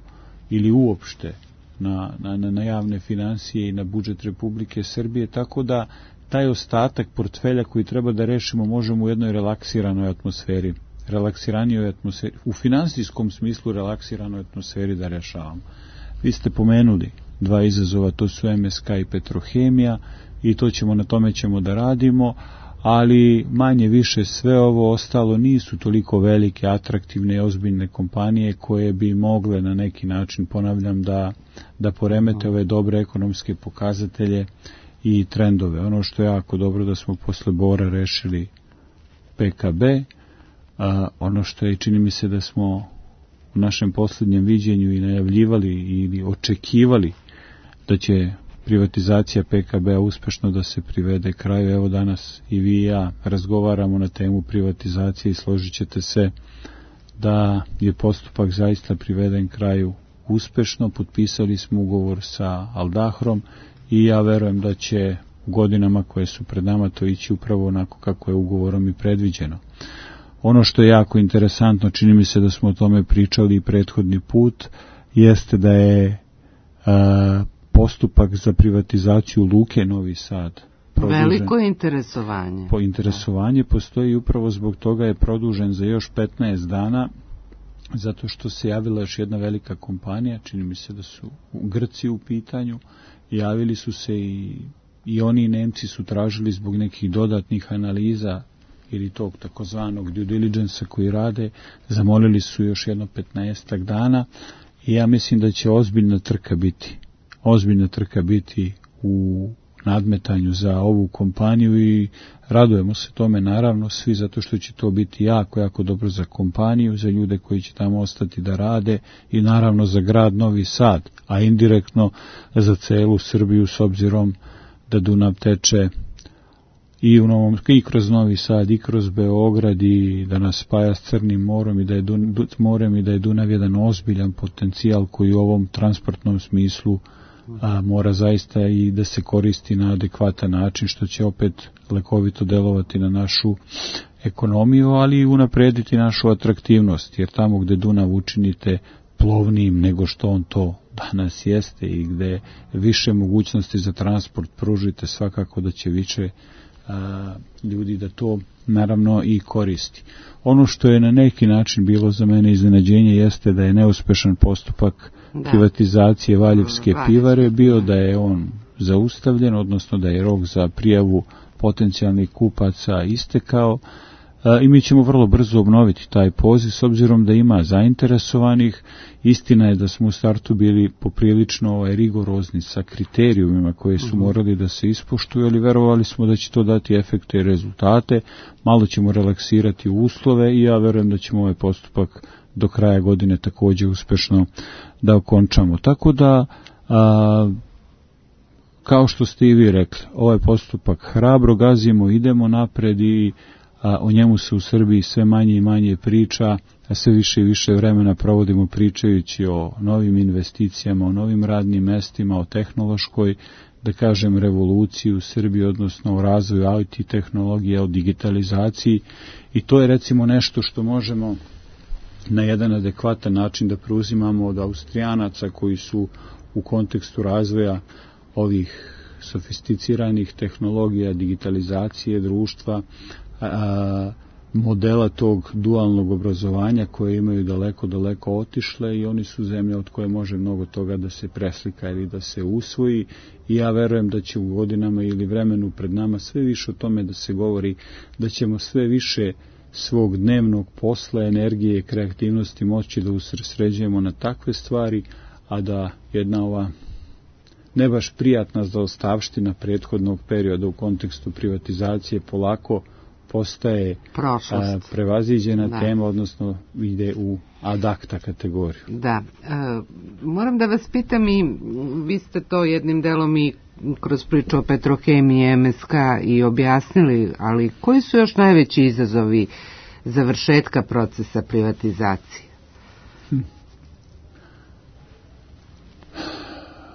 ili uopšte na, na, na javne financije i na budžet Republike Srbije, tako da taj ostatak portfelja koji treba da rešimo možemo u jednoj relaksiranoj atmosferi relaksiranijoj atmosferi, u finansijskom smislu relaksiranoj atmosferi da rešavamo. Vi ste pomenuli dva izazova, to su M S K i Petrohemija i to ćemo, na tome ćemo da radimo, ali manje više sve ovo ostalo nisu toliko velike, atraktivne i ozbiljne kompanije koje bi mogle na neki način, ponavljam, da, da poremete ove dobre ekonomske pokazatelje i trendove. Ono što je jako dobro da smo posle Bora rešili P K B, a, ono što je, čini mi se da smo u našem posljednjem viđenju i najavljivali ili očekivali da će privatizacija P K B-a uspešno da se privede kraju. Evo danas i vi i ja razgovaramo na temu privatizacije i složit ćete se da je postupak zaista priveden kraju uspešno. Potpisali smo ugovor sa Aldahrom i ja verujem da će u godinama koje su pred nama to ići upravo onako kako je ugovorom i predviđeno. Ono što je jako interesantno, čini mi se da smo o tome pričali i prethodni put, jeste da je a, postupak za privatizaciju Luke Novi Sad produžen. Veliko interesovanje. Po interesovanje postoji upravo zbog toga je produžen za još petnaest dana zato što se javila još jedna velika kompanija, čini mi se da su Grci u pitanju, javili su se i, i oni Nemci su tražili zbog nekih dodatnih analiza ili tog takozvanog due diligence koji rade, zamolili su još jedno petnaestak dana i ja mislim da će ozbiljna trka biti, ozbiljna trka biti u nadmetanju za ovu kompaniju i radujemo se tome naravno svi zato što će to biti jako, jako dobro za kompaniju, za ljude koji će tamo ostati da rade i naravno za grad Novi Sad, a indirektno za celu Srbiju s obzirom da Dunav teče i u Novom, i kroz Novi Sad, i kroz Beograd i da nas spaja s Crnim morem i da je Dun, morem i da je Dunav jedan ozbiljan potencijal koji u ovom transportnom smislu a, mora zaista i da se koristi na adekvatan način, što će opet lekovito delovati na našu ekonomiju, ali i unaprediti našu atraktivnost, jer tamo gde Dunav učinite plovnijim nego što on to danas jeste i gde više mogućnosti za transport pružite, svakako da će više a, ljudi da to naravno i koristi. Ono što je na neki način bilo za mene iznenađenje jeste da je neuspešan postupak da. privatizacije Valjevske pivare bio, da je on zaustavljen, odnosno da je rok za prijavu potencijalnih kupaca istekao i mi ćemo vrlo brzo obnoviti taj poziv s obzirom da ima zainteresovanih. Istina je da smo u startu bili poprilično ovaj, rigorozni sa kriterijumima koje su morali da se ispoštuju, ali verovali smo da će to dati efekte i rezultate. Malo ćemo relaksirati uslove i ja verujem da ćemo ovaj postupak do kraja godine također uspešno da okončamo. Tako da, a, kao što ste i vi rekli, ovaj postupak hrabro gazimo, idemo napred i a o njemu se u Srbiji sve manje i manje priča, a sve više i više vremena provodimo pričajući o novim investicijama, o novim radnim mestima, o tehnološkoj, da kažem, revoluciji u Srbiji, odnosno o razvoju I T tehnologije, o digitalizaciji i to je recimo nešto što možemo na jedan adekvatan način da preuzimamo od Austrijanaca koji su u kontekstu razvoja ovih sofisticiranih tehnologija, digitalizacije društva, a, modela tog dualnog obrazovanja koje imaju daleko, daleko otišle i oni su zemlja od koje može mnogo toga da se preslika ili da se usvoji i ja verujem da će u godinama ili vremenu pred nama sve više o tome da se govori, da ćemo sve više svog dnevnog posla, energije i kreativnosti moći da usredsređujemo na takve stvari, a da jedna ova ne baš prijatna zaostavština prethodnog perioda u kontekstu privatizacije polako postaje a, prevaziđena da. tema, odnosno ide u ad acta kategoriju. Da. E, moram da vas pitam i vi ste to jednim delom i kroz priču o Petrohemiji M S K i objasnili, ali koji su još najveći izazovi završetka procesa privatizacije? Hm.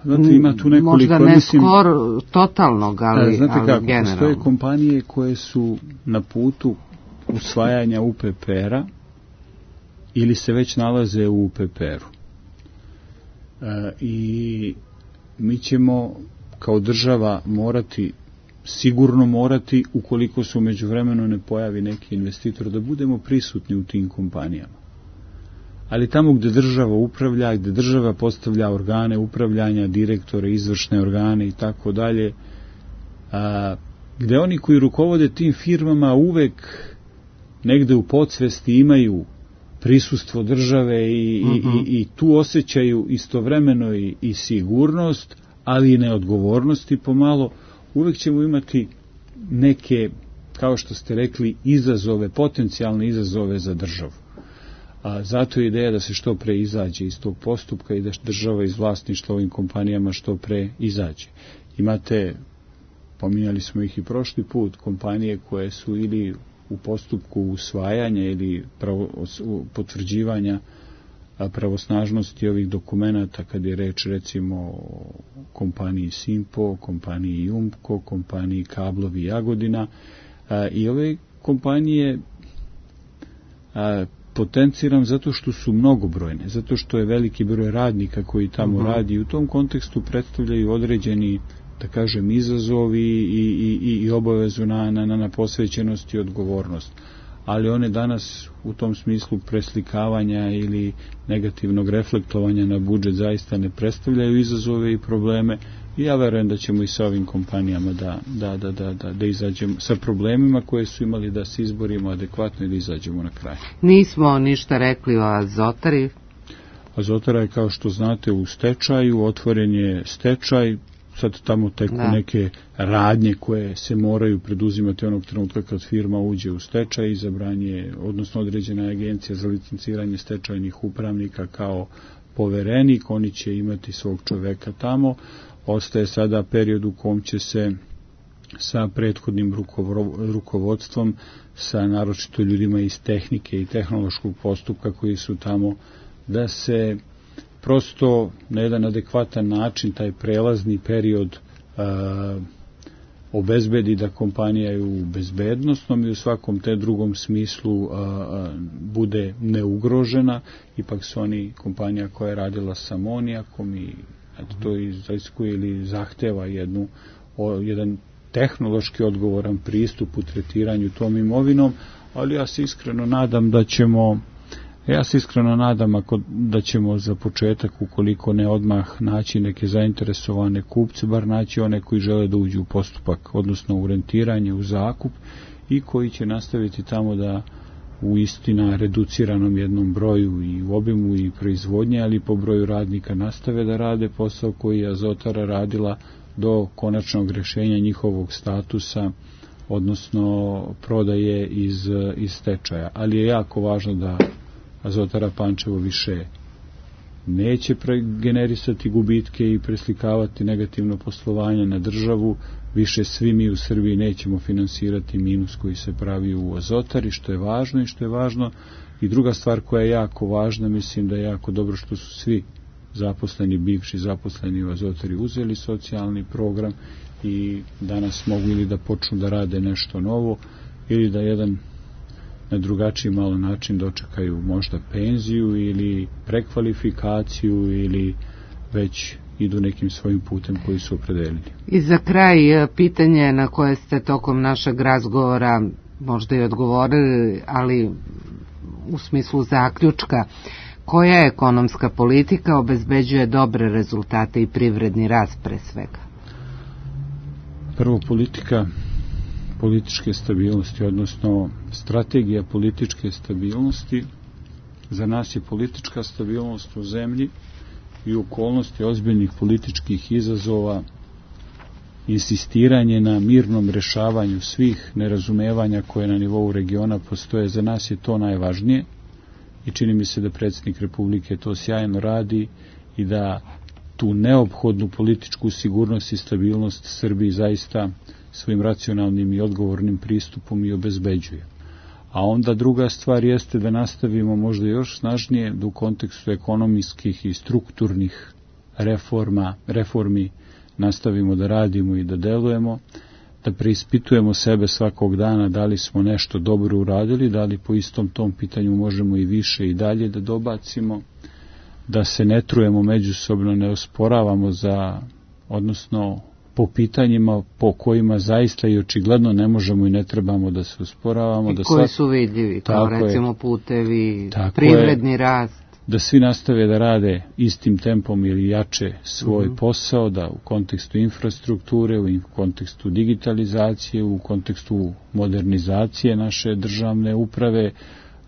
Znate, ima tu nekoliko, možda ne mislim, skoro totalnog, ali, znate ali kako, generalno. Postoje kompanije koje su na putu usvajanja U P P R-a ili se već nalaze u U P P R-u. E, I mi ćemo kao država morati, sigurno morati, ukoliko se u međuvremenu ne pojavi neki investitor, da budemo prisutni u tim kompanijama. Ali tamo gde država upravlja, gde država postavlja organe upravljanja, direktore, izvršne organe i tako dalje, gde oni koji rukovode tim firmama uvek negde u podsvesti imaju prisustvo države i, uh-huh. i, i tu osjećaju istovremeno i, i sigurnost, ali i neodgovornosti pomalo, uvek ćemo imati neke, kao što ste rekli, izazove, potencijalne izazove za državu. A zato je ideja da se što pre izađe iz tog postupka i da država iz vlasništva ovim kompanijama što pre izađe. Imate, pominjali smo ih i prošli put, kompanije koje su ili u postupku usvajanja ili pravo, potvrđivanja pravosnažnosti ovih dokumenata, kad je reč recimo o kompaniji Simpo, kompaniji Jumko, kompaniji Kablovi Jagodina, a, i ove kompanije a, potenciram zato što su mnogobrojne, zato što je veliki broj radnika koji tamo uh-huh. radi i u tom kontekstu predstavljaju određeni, da kažem, izazovi i, i, i obavezu na, na, na posvećenost i odgovornost. ali one danas u tom smislu preslikavanja ili negativnog reflektovanja na budžet zaista ne predstavljaju izazove i probleme. I ja verujem da ćemo i sa ovim kompanijama da, da, da, da, da, da izađemo sa problemima koje su imali, da se izborimo adekvatno i da izađemo na kraj. Nismo ništa rekli o Azotari. Azotara je, kao što znate, u stečaju, otvoren je stečaj, sad tamo teku da. neke radnje koje se moraju preduzimati onog trenutka kad firma uđe u stečaj, izabran je, odnosno određena agencija za licenciranje stečajnih upravnika kao poverenik, oni će imati svog čoveka tamo. Ostaje sada period u kom će se sa prethodnim rukovodstvom, sa naročito ljudima iz tehnike i tehnološkog postupka koji su tamo, da se prosto na jedan adekvatan način taj prelazni period a, obezbedi da kompanija je u bezbednostnom i u svakom te drugom smislu a, a, bude neugrožena. Ipak su oni kompanija koja je radila sa amonijakom i eto, to iziskuje ili zahteva jednu, o, jedan tehnološki odgovoran pristup u tretiranju tom imovinom, ali ja se iskreno nadam da ćemo Ja se iskreno nadam ako, da ćemo za početak, ukoliko ne odmah, naći neke zainteresovane kupce, bar naći one koji žele da uđu u postupak, odnosno u rentiranje, u zakup, i koji će nastaviti tamo da u istina reduciranom jednom broju i u obimu i proizvodnje, ali po broju radnika nastave da rade posao koji je Azotara radila do konačnog rješenja njihovog statusa, odnosno prodaje iz, iz stečaja. Ali je jako važno da Azotara Pančevo više neće generisati gubitke i preslikavati negativno poslovanje na državu. Više svi mi u Srbiji nećemo finansirati minus koji se pravi u Azotari, što je važno i što je važno. I druga stvar koja je jako važna, mislim da je jako dobro što su svi zaposleni, bivši zaposleni u Azotari uzeli socijalni program i danas mogu ili da počnu da rade nešto novo ili da jedan na drugačiji malo način dočekaju možda penziju ili prekvalifikaciju ili već idu nekim svojim putem koji su opredelili. I za kraj pitanje na koje ste tokom našeg razgovora možda i odgovorili, ali u smislu zaključka, koja ekonomska politika obezbeđuje dobre rezultate i privredni rast pre svega? Prvo, politika političke stabilnosti, odnosno strategija političke stabilnosti. Za nas je politička stabilnost u zemlji i u okolnosti ozbiljnih političkih izazova, insistiranje na mirnom rešavanju svih nerazumevanja koje na nivou regiona postoje. Za nas je to najvažnije i čini mi se da predsjednik Republike to sjajno radi i da tu neophodnu političku sigurnost i stabilnost Srbiji zaista svojim racionalnim i odgovornim pristupom i obezbeđuje. A onda druga stvar jeste da nastavimo možda još snažnije da u kontekstu ekonomijskih i strukturnih reforma, reformi nastavimo da radimo i da delujemo, da preispitujemo sebe svakog dana da li smo nešto dobro uradili, da li po istom tom pitanju možemo i više i dalje da dobacimo, da se ne trujemo međusobno, ne osporavamo za, odnosno po pitanjima po kojima zaista i očigledno ne možemo i ne trebamo da se osporavamo. I da koji svak... su vidljivi, kao recimo je, putevi, privredni je, rast. Da svi nastave da rade istim tempom ili jače svoj mm-hmm. posao, da u kontekstu infrastrukture, u kontekstu digitalizacije, u kontekstu modernizacije naše državne uprave,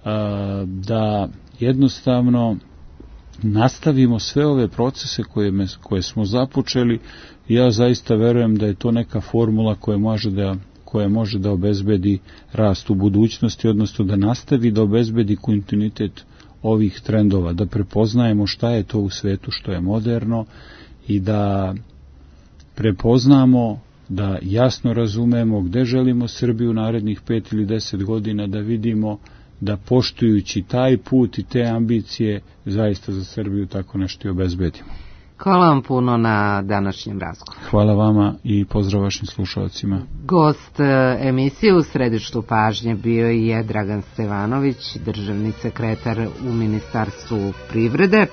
a, da jednostavno nastavimo sve ove procese koje, me, koje smo započeli. Ja zaista verujem da je to neka formula koja može da, koja može da obezbedi rast u budućnosti, odnosno da nastavi da obezbedi kontinuitet ovih trendova, da prepoznajemo šta je to u svetu što je moderno i da prepoznamo, da jasno razumemo gde želimo Srbiju narednih pet ili deset godina, da vidimo da poštujući taj put i te ambicije zaista za Srbiju tako nešto i obezbedimo. Hvala vam puno na današnjem razgovoru. Hvala vama i pozdrav vašim slušalcima. Gost emisije u središtu pažnje bio je Dragan Stevanović, državni sekretar u Ministarstvu privrede.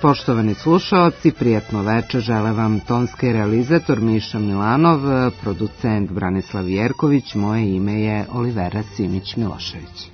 Poštovani slušaoci, prijatno večer žele vam tonski realizator Miša Milanov, producent Branislav Jerković, moje ime je Olivera Simić Milošević.